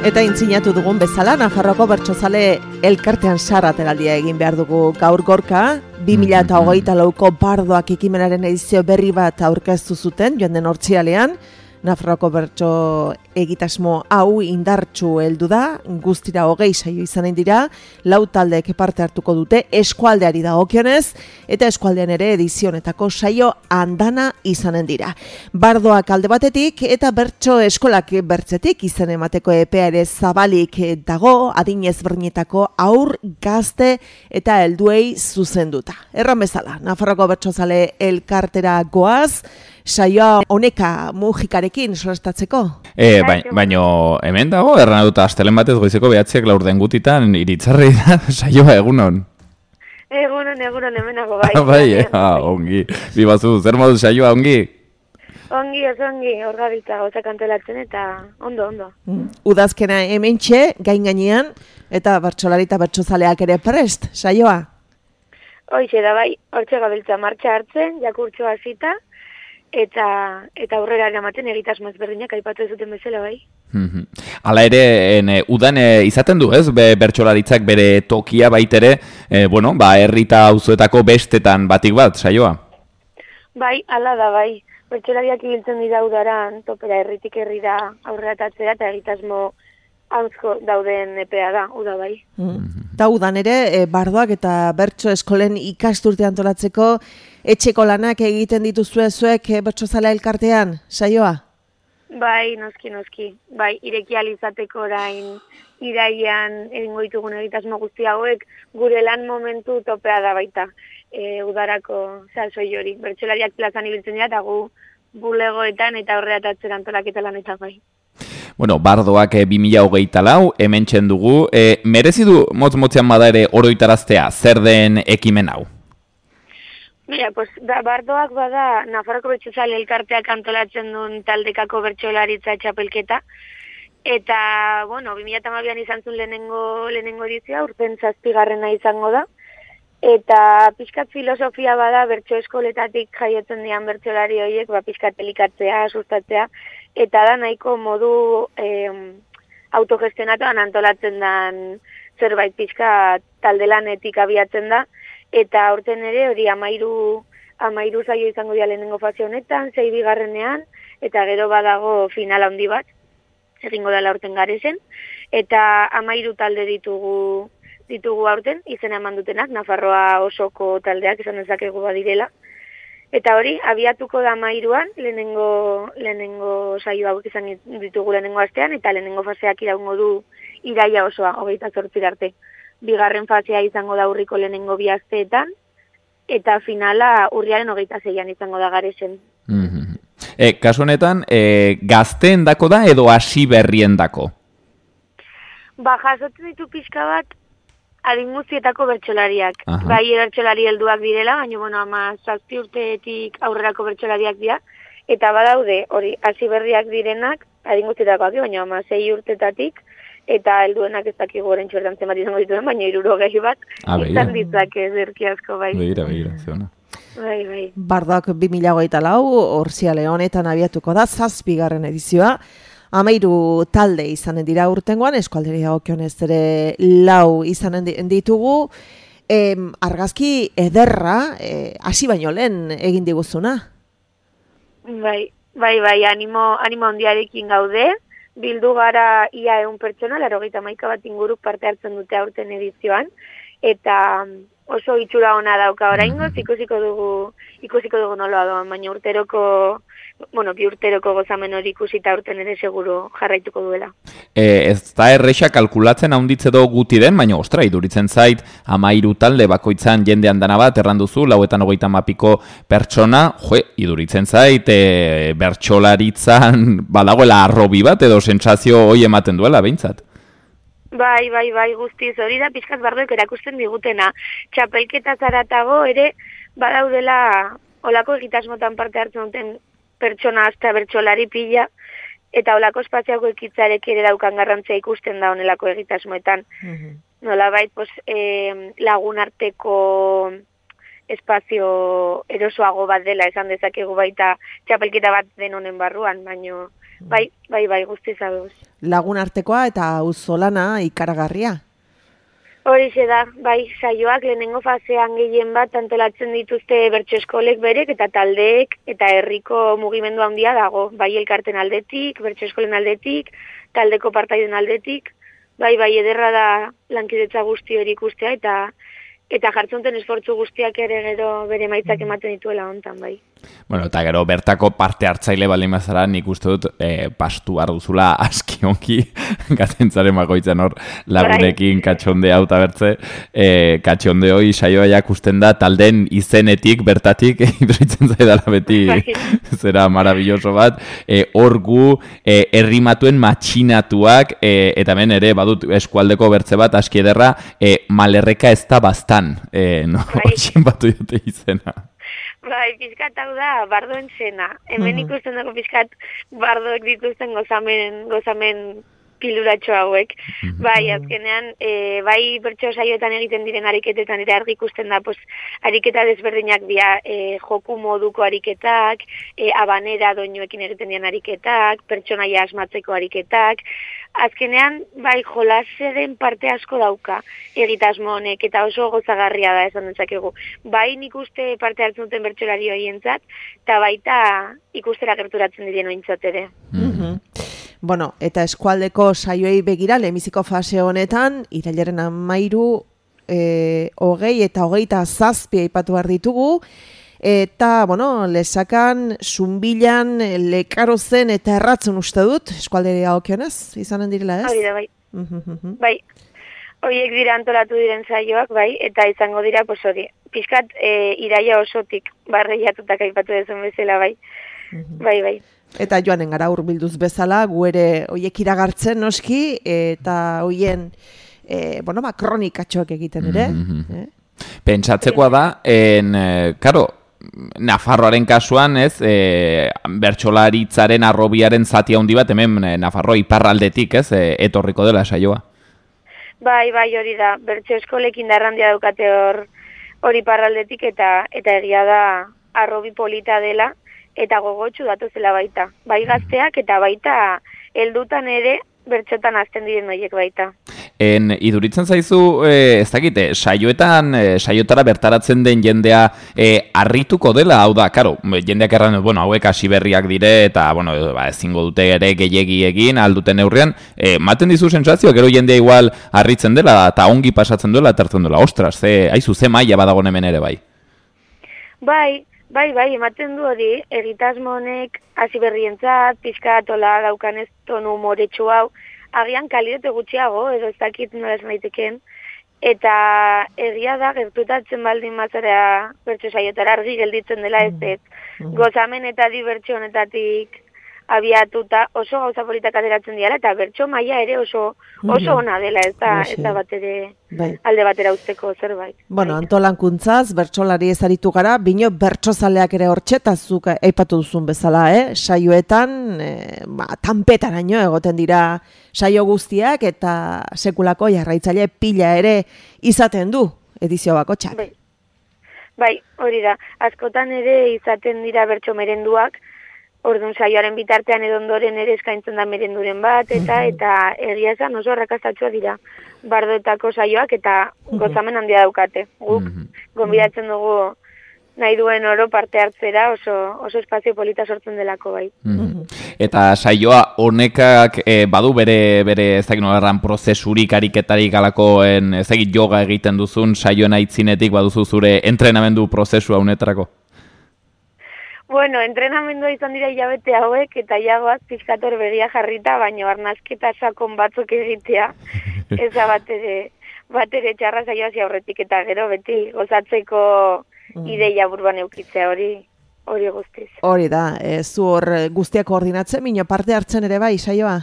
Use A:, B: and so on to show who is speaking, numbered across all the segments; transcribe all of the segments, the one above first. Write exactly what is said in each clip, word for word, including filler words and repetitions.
A: Eta intzinatu dugun bezala, Nafarroako bertsozale elkartean sarrateraldia egin behar dugu gaur gorka, bi mila hogeita lauko bardoak ekimenaren edizio berri bat aurkeztu zuten, joan den hortzialean, Nafarroako bertso egitasmo hau indartsu heldu da, guztira hogei saio izanen dira, lau taldeek parte hartuko dute eskualdeari dagokionez, eta eskualdean ere edizionetako saio andana izanen dira. Bardoak alde batetik eta bertso eskolak bertzetik izan emateko epea ere zabalik dago, adin ezberdinetako haur, gazte eta helduei zuzenduta. Erran bezala, Nafarroako bertsozale elkartera goaz, saioa honeka mugikarekin solestatzeko?
B: E, baino, baino hemen dago, erran dut astelen batez goizeko behatziak laurden gutitan iritzarri da saioa egunon.
C: Egunon, egunon hemenago bai.
B: bai, eh? ah, ongi. Bibazu, zer modu saioa ongi?
C: Ongi, oso ongi, hor gabiltza gauzak antolatzen eta ondo, ondo.
A: Mm. Udazkena hementxe, gain gainean, eta bertsolari eta bertsozaleak ere prest, saioa?
C: Hoixe da bai, hortxe gabiltza martxa hartzen, jakurtxoa hasita, eta eta aurrera eramaten egitasmo ezberdinak aipatu ez duten bezala bai.
B: Hala ere, en, udan e, izaten du, ez? Be, bertsolaritzak bere tokia baitere, e, bueno, ba, herrita auzoetako bestetan batik bat, saioa?
C: Bai, hala da bai. Bertsolariak ibiltzen dira udaran, topera herritik herrira aurreratatzea eta egitasmo auzko dauden epea da, uda bai.
A: Mm. Eta udan ere, e, bardoak eta bertso eskolen ikasturte antolatzeko etxeko lanak egiten dituzue zuek e, bertsozale elkartean, saioa?
C: Bai, noski, noski. Bai, ireki ahal izateko orain iraian egingo ditugun egitasmo guzti hauek gure lan momentu topea da baita. E, udarako salsoi hori. Bertsolariak plazan ibiltzen dira eta gu bulegoetan eta aurreratatzen antolaketa lanetan bai.
B: Bueno, bardoak e, bi mila hogeita lau, hemen txendugu. E, merezi du motz-motzean bada ere oroitaraztea, zer den ekimen hau?
C: Mira, pues, da, bardoak bada Nafarroko bertsozale elkarteak antolatzen duen taldekako bertsolaritza txapelketa. Eta, bueno, bi mila hamabian izan zuen lehenengo, lehenengo edizioa, urten zazpigarrena izango da. Eta pixkat filosofia bada bertso eskoletatik jaiotzen dian bertsolari horiek, ba, pixkat elikatzea, sustatzea, eta da nahiko modu eh, autogestionatuan antolatzen den zerbait pixka taldelanetik abiatzen da, eta aurten ere hori amairu, amairu zaio izango dira lehenengo fase honetan, zei bigarrenean, eta gero badago final handi bat, egingo dela aurten garezen, eta amairu talde ditugu ditugu aurten, izena eman dutenak, Nafarroa osoko taldeak izan dezakegu badirela. Eta hori, abiatuko da amairuan, lehenengo, lehenengo saio hauek izan ditugu lehenengo astean, eta lehenengo faseak iraungo du iraia osoa, hogeita zortzir arte. Bigarren fasea izango da urriko lehenengo bi asteetan, eta finala urriaren hogeita zeian izango da garesen.
B: Mm-hmm. E, kasu honetan, e, gazteen dako da edo hasi berrien dako?
C: Ba, jasotzen ditu pixka bat, adin guztietako bertsolariak.
B: Aha.
C: Bai bertsolari helduak direla, baina bueno, ama zazpi urteetik aurrerako bertsolariak dira, eta badaude, hori, hasi berriak direnak, adin guztietakoak, baina ama sei urtetatik, eta helduenak ez dakik goren txortan zenbat izango dituen, baina hirurogei bat,
B: ah,
C: izan ditzak ez erki asko, bai.
B: Begira, begira, zeona.
C: Bai, bai.
A: Bardoak bi mila hogeita lau, hortziale honetan abiatuko da, zazpigarren edizioa, amairu talde izanen dira urtengoan, eskualderi dagokionez ere lau izanen ditugu, e, argazki ederra, hasi e, baino lehen egin diguzuna?
C: Bai, bai, bai, animo, animo handiarekin gaude, bildu gara ia egun pertsona, laurogeita hamaika bat inguruk parte hartzen dute aurten edizioan, eta oso itxura ona dauka oraingoz, ikusiko dugu, ikusiko dugu noloa doan, baina urteroko, bueno, bi urteroko gozamen hori ikusita urten ere seguru jarraituko duela.
B: E, ez da erresa kalkulatzen haunditze do guti den, baina ostra, iduritzen zait, amairu talde bakoitzan jendean dana bat, erranduzu, lauetan hogeita mapiko pertsona, jo, iduritzen zait, e, bertsolaritzan badagoela arrobi bat, edo sentsazio hoi ematen duela, behintzat.
C: Bai, bai, bai, guztiz, hori da pixkat bardoek erakusten digutena. Txapelketa zaratago ere badaudela olako egitasmotan parte hartzen duten pertsona hasta bertsolari pila, eta olako espaziako ekitzarek ere daukan garrantzia ikusten da honelako egitasmoetan. Mm-hmm. Nolabait, pues, eh, lagun arteko espazio erosoago bat dela esan dezakegu baita txapelketa bat den honen barruan, baino Bai, bai, bai, guztiz aduz.
A: Lagun artekoa eta auzolana ikaragarria.
C: Horixe da, bai, saioak lehenengo fasean gehien bat antolatzen dituzte bertso eskolek berek eta taldeek eta herriko mugimendu handia dago. Bai elkarten aldetik, bertso eskolen aldetik, taldeko partaiden aldetik. Bai, bai, ederra da lankidetza guzti hori ikustea eta eta jartzunten esfortzu guztiak ere gero bere maitzak ematen dituela hontan, bai.
B: Bueno, eta gero bertako parte hartzaile baldin bazara, nik uste dut e, pastu arduzula aski onki gatentzaren bakoitzan hor lagunekin katxonde hau eta bertze. E, katxonde hoi saioa jakusten da talden izenetik, bertatik, iduritzen zaidala beti zera marabilloso bat. E, hor gu e, errimatuen matxinatuak, e, eta hemen ere badut eskualdeko bertze bat aski ederra, e, malerreka ez da bastan. E, no, Oixen batu jote izena.
C: Bai, pizkat hau da, bardoen zena. Hemen ikusten dago pizkat bardoek dituzten gozamen, gozamen piluratxo hauek. Bai, azkenean, e, bai bertso saioetan egiten diren ariketetan ere argi ikusten da, pues, ariketa desberdinak dira, e, joku moduko ariketak, e, abanera doinuekin egiten diren ariketak, pertsonaia asmatzeko ariketak. Azkenean, bai, jolaseren parte asko dauka egitasmo honek, eta oso gozagarria da esan dezakegu. Bai, nik uste parte hartzen duten bertsolari horientzat, eta baita ikustera gerturatzen diren ointzat ere.
A: Mm-hmm. Bueno, eta eskualdeko saioei begira, lehenbiziko fase honetan, irailaren hamairu, e, hogei eta hogeita zazpi aipatu behar ditugu, eta, bueno, lesakan, zumbilan, lekarozen eta erratzen uste dut, eskualderi haokionez, izanen direla ez?
C: Hori da, bai. Bai, horiek dira antolatu diren saioak, bai, eta izango dira, pues hori, pixkat e, iraia osotik barreiatutak aipatu dezun bezala, bai. Bai, bai.
A: Eta joanen gara hurbilduz bezala, gu ere horiek iragartzen noski, eta hoien, e, bueno, ba, kronikatxoak egiten ere.
B: Mm-hmm. eh? Pentsatzekoa da, en, karo, Nafarroaren kasuan, ez, e, bertsolaritzaren arrobiaren zati handi bat, hemen Nafarro iparraldetik, ez, e, etorriko dela saioa.
C: Bai, bai, hori da, bertso eskolekin darrandia daukate hor hori iparraldetik, eta eta egia da arrobi polita dela, eta gogotsu datuzela baita. Bai gazteak eta baita heldutan ere bertxotan azten diren horiek baita.
B: En, iduritzen zaizu, e, ez dakite, saioetan, e, saiotara bertaratzen den jendea e, harrituko dela, hau da, karo, jendeak erran, bueno, hauek hasi berriak dire, eta, bueno, ba, ezingo dute ere gehiegi egin, alduten neurrian, e, maten dizu sensazioa, gero jendea igual harritzen dela, eta ongi pasatzen dela, eta hartzen dela, ostras, ze, haizu, ze maila badagon hemen ere, bai?
C: Bai, bai, bai, ematen du hori, egitasmo honek hasi berrientzat, pixka atola daukanez tonu moretsu hau, agian kalitate gutxiago, edo ez dakit nola esan daiteken, eta egia da, gertutatzen baldin mazara bertso saiotara argi gelditzen dela ez ez. Gozamen eta dibertsio honetatik abiatuta oso gauza politak ateratzen diala, eta bertso maila ere oso oso ona dela, ez da, ez da bat ere alde batera usteko zerbait.
A: Bueno, antolankuntzaz, bertsolari ezaritu gara, bino bertsozaleak ere hortxetazuk aipatu duzun bezala, eh? Saioetan, eh, ba, tanpetaraino egoten dira saio guztiak, eta sekulako jarraitzaile pila ere izaten du edizio bakotxak.
C: Bai. Bai, hori da, askotan ere izaten dira bertso merenduak, orduan saioaren bitartean edo ondoren ere eskaintzen da merenduren bat, eta eta egia esan oso arrakastatsua dira bardoetako saioak, eta gozamen handia daukate. Guk gonbidatzen dugu nahi duen oro parte hartzera, oso, oso espazio polita sortzen delako bai.
B: Eta saioa honekak e, badu bere, bere ez dakit nolarran prozesurik, ariketarik alakoen, ez dakit yoga egiten duzun saioen aitzinetik baduzu zure entrenamendu prozesua honetarako?
C: Bueno, entrenamendua izan dira hilabete hauek, eta jagoaz pizkator begia jarrita, baina arnazketa sakon batzuk egitea, ez da bat ere, bat ere txarra saioa aurretik, eta gero beti gozatzeko ideia burban eukitzea hori, hori guztiz.
A: Hori da, e, zu hor guztiak koordinatzen, mino parte hartzen ere bai, saioa?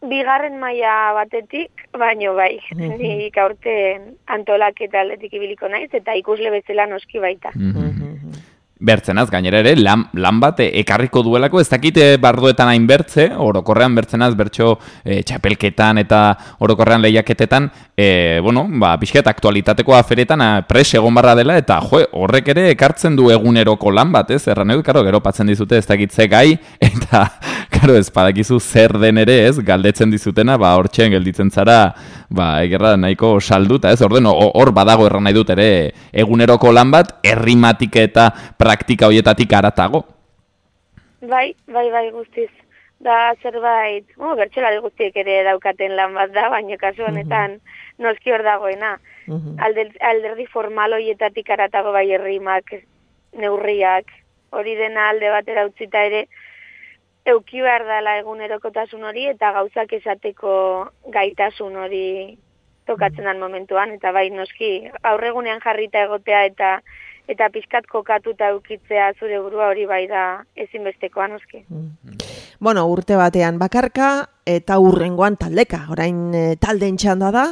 C: Bigarren maila batetik, baino bai, nik aurten antolak eta aldetik ibiliko naiz, eta ikusle bezala noski baita.
B: bertzenaz, gainera ere, lan, lan bat ekarriko duelako, ez dakite bardoetan hain bertze, orokorrean bertzenaz, bertso e, txapelketan eta orokorrean lehiaketetan, e, bueno, ba, pixket aktualitateko aferetan pres egon barra dela, eta jo, horrek ere ekartzen du eguneroko lan bat, ez? Erran edo, karo, gero patzen dizute ez dakitze gai, eta, karo, ez badakizu zer den ere, ez? Galdetzen dizutena, ba, hortxean gelditzen zara, ba, egerra nahiko salduta, ez? Orden, hor badago erran nahi dut ere eguneroko lan bat, errimatik eta praktika hoietatik aratago.
C: Bai, bai, bai, guztiz. Da zerbait, oh, bertsolari guztiek ere daukaten lan bat da, baina kasu honetan uh-huh. noski hor dagoena. Uh-huh. Alder, alderdi formal hoietatik aratago bai errimak, neurriak, hori dena alde batera utzita ere, euki behar dela egunerokotasun hori eta gauzak esateko gaitasun hori tokatzen den momentuan, eta bai noski aurregunean jarrita egotea eta eta pixkat kokatuta eukitzea zure burua hori bai da ezinbestekoa noski.
A: Mm. Bueno, urte batean bakarka eta urrengoan taldeka, orain e, taldeen txanda da,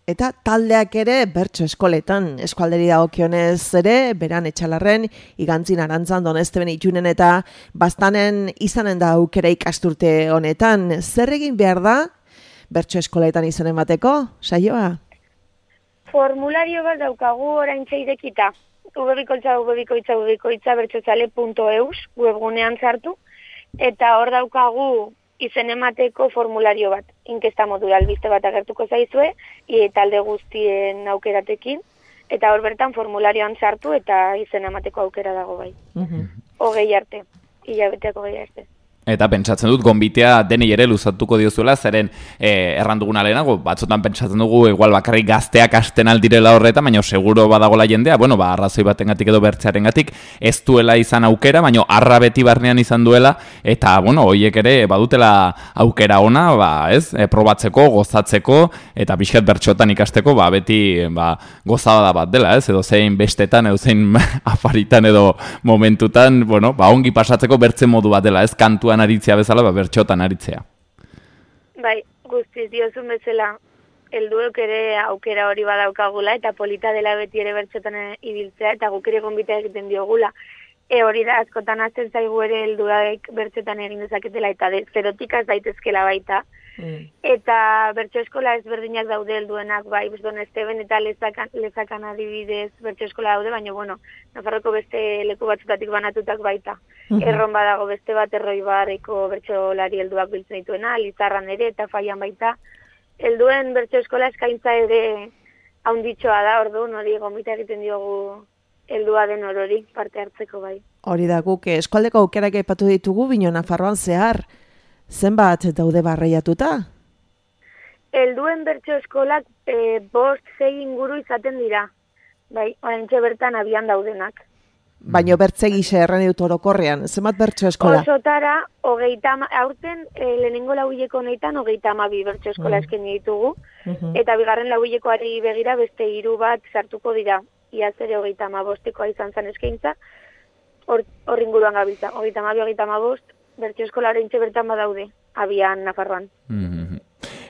A: eta taldeak ere bertso eskoletan, eskualderi dagokionez ere, beran etxalarren, igantzin arantzan, donezteben itxunen eta bastanen izanen da aukera ikasturte honetan. Zer egin behar da bertso eskoletan izan emateko, saioa?
C: Formulario bat daukagu orain irekita. ubebikoitza, ubebikoitza, ubebikoitza, bertsozale punto eus webgunean sartu, eta hor daukagu izen emateko formulario bat, inkesta modura albiste bat agertuko zaizue, e, talde guztien aukeratekin, eta hor bertan formularioan sartu eta izen emateko aukera dago bai. Uh-huh. Hogei arte, hilabeteako hogei arte.
B: Eta pentsatzen dut, gonbitea denei ere luzatuko diozuela, zeren eh, erranduguna lehenago, batzutan pentsatzen dugu, igual bakarrik gazteak hasten aldirela horreta, baina seguro badagola jendea, bueno, ba, arrazoi batengatik edo bertzearengatik, ez duela izan aukera, baina arra beti barnean izan duela, eta, bueno, hoiek ere badutela aukera ona, ba, ez, e, probatzeko, gozatzeko, eta pixkat bertxotan ikasteko, ba, beti, ba, gozada bat dela, ez, edo zein bestetan, edo zein afaritan, edo momentutan, bueno, ba, ongi pasatzeko bertze modu bat dela, ez, kantuan aritzea bezala, ba, bertxotan aritzea.
C: Bai, guztiz diozun bezala, helduek ere aukera hori badaukagula, eta polita dela beti ere bertxotan ibiltzea, eta guk ere gonbita egiten diogula. E hori da, askotan azten zaigu ere helduak bertxotan egin dezaketela, eta de, zerotik az daitezkela baita. Mm. Eta bertso eskola ezberdinak daude helduenak, bai, Don Esteban eta lezakan, lezakan adibidez bertso eskola daude, baina, bueno, Nafarroko beste leku batzutatik banatutak baita. Mm-hmm. Erron badago beste bat erroi barreko bertsolari helduak biltzen dituena, Lizarran ere eta Faian baita. Helduen bertso eskola eskaintza ere haunditxoa da, orduan hori gonbita egiten diogu heldua den orori parte hartzeko bai.
A: Hori da, guk eskualdeko aukerak aipatu ditugu, bino Nafarroan zehar. Zenbat daude barreiatuta?
C: Helduen bertso eskolak e, bost zei inguru izaten dira. Bai, oraintxe bertan abian daudenak.
A: Baina bertze gise erran dut orokorrean, zenbat bertso eskola?
C: Osotara, hogeita, aurten e, lehenengo lauileko honetan hogeita hamabi bertso eskola mm. eskaini ditugu, uh-huh. eta bigarren lauilekoari begira beste hiru bat sartuko dira. Iaz ere hogeita hamabostekoa izan zen eskaintza, hor, hor inguruan gabiltza, hogeita hamabi, hogeita hamabost, bertso eskola oraintxe bertan badaude, abian Nafarroan.
B: Mm-hmm.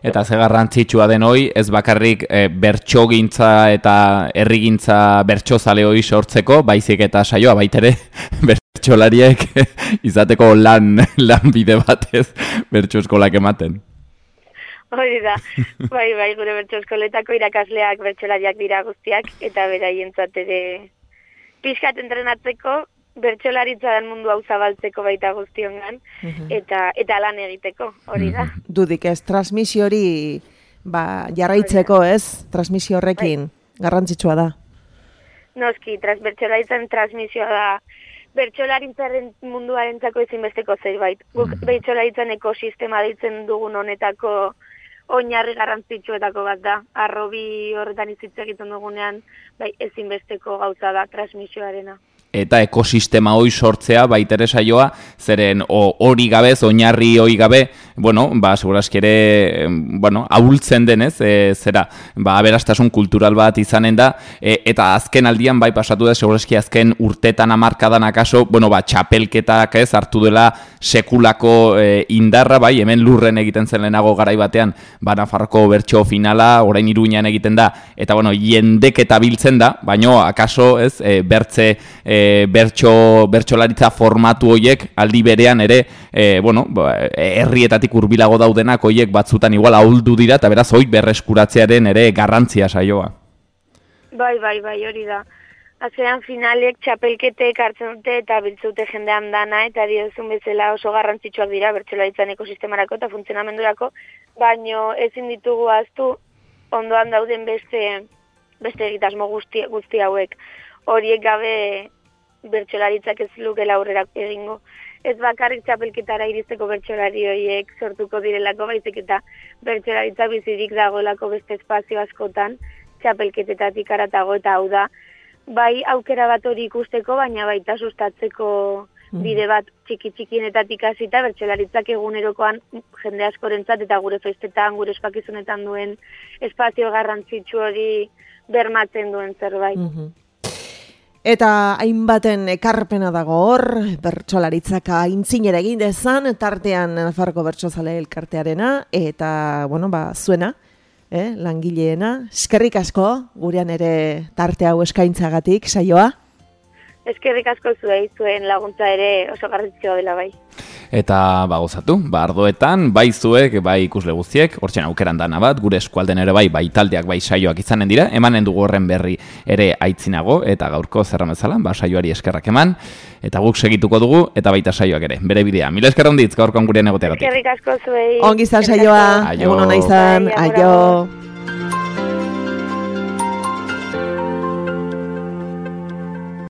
B: Eta ze garrantzitsua den hoi, ez bakarrik e, bertsogintza eta herrigintza bertsozale hoi sortzeko, baizik eta saioa baitere bertsolariek izateko lan, lan bide batez bertso eskolak ematen.
C: Hori da, bai, bai, gure bertso eskoletako irakasleak bertsolariak dira guztiak, eta beraientzat ere pixkat entrenatzeko, bertsolaritza den mundu hau zabaltzeko baita guztiongan, uh-huh. eta eta lan egiteko, hori da. Uh-huh.
A: Dudik ez, transmisio hori ba, jarraitzeko ez, transmisio horrekin, bai. Garrantzitsua da.
C: Noski, tras, bertsolaritzan transmisioa da, bertsolaritzaren munduarentzako ezinbesteko zerbait. Guk uh-huh. bertsolaritzan ekosistema deitzen dugun honetako oinarri garrantzitsuetako bat da. Arrobi horretan izitze egiten dugunean, bai, ezinbesteko gauza da transmisioarena.
B: Eta ekosistema hoi sortzea baitere saioa, zeren hori gabez, oinarri hori gabe, bueno, ba, segurazki ere, bueno, ahultzen denez, e, zera, ba, aberastasun kultural bat izanen da, e, eta azken aldian, bai, pasatu da, segurazki azken urtetan hamarkadan akaso, bueno, ba, txapelketak ez, hartu dela sekulako e, indarra, bai, hemen lurren egiten zen lehenago garai batean, ba, Nafarroko bertso finala, orain Iruñan egiten da, eta, bueno, jendek eta biltzen da, baino, akaso, ez, e, bertze, e, e, bertso, bertsolaritza formatu hoiek aldi berean ere, e, bueno, herrietatik hurbilago daudenak hoiek batzutan igual ahuldu dira, eta beraz hoi berreskuratzearen ere garrantzia saioa.
C: Bai, bai, bai, hori da. Azean finalek txapelketek hartzen dute eta biltzute jendean dana, eta diozun bezala oso garrantzitsuak dira bertsolaritzan ekosistemarako eta funtzionamendurako, baino ezin ditugu ahaztu ondoan dauden beste beste egitasmo guzti, guzti hauek. Horiek gabe bertsolaritzak ez lukela aurrera egingo. Ez bakarrik txapelketara iristeko bertsolari horiek sortuko direlako, baizik eta bertsolaritza bizirik dagoelako beste espazio askotan, txapelketetatik aratago, eta hau da, bai aukera bat hori ikusteko, baina baita sustatzeko bide bat txiki-txikienetatik hasita bertsolaritzak egunerokoan jende askorentzat eta gure festetan, gure espakizunetan duen espazio garrantzitsu hori bermatzen duen zerbait.
A: Mm-hmm. Eta hainbaten ekarpena dago hor, bertsolaritzak aintzinera egin dezan, tartean Nafarroko Bertsozale Elkartearena, eta, bueno, ba, zuena, eh, langileena. Eskerrik asko, gurean ere tarte hau eskaintzagatik, saioa.
C: Eskerrik asko zuei, zuen laguntza ere oso garrantzitsua dela bai.
B: Eta ba gozatu, ba ardoetan, bai zuek, bai ikusle guztiek, hortzen aukeran dana bat, gure eskualden ere bai, bai taldeak, bai saioak izanen dira, emanen dugu horren berri ere aitzinago, eta gaurko zerra bezala, ba saioari eskerrak eman, eta guk segituko dugu, eta baita saioak ere, bere bidea. Mila esker onditz, gaurkoan gurean egoteagatik.
C: Eskerrik asko zuei.
A: Ongi izan saioa, egun ona izan, aio.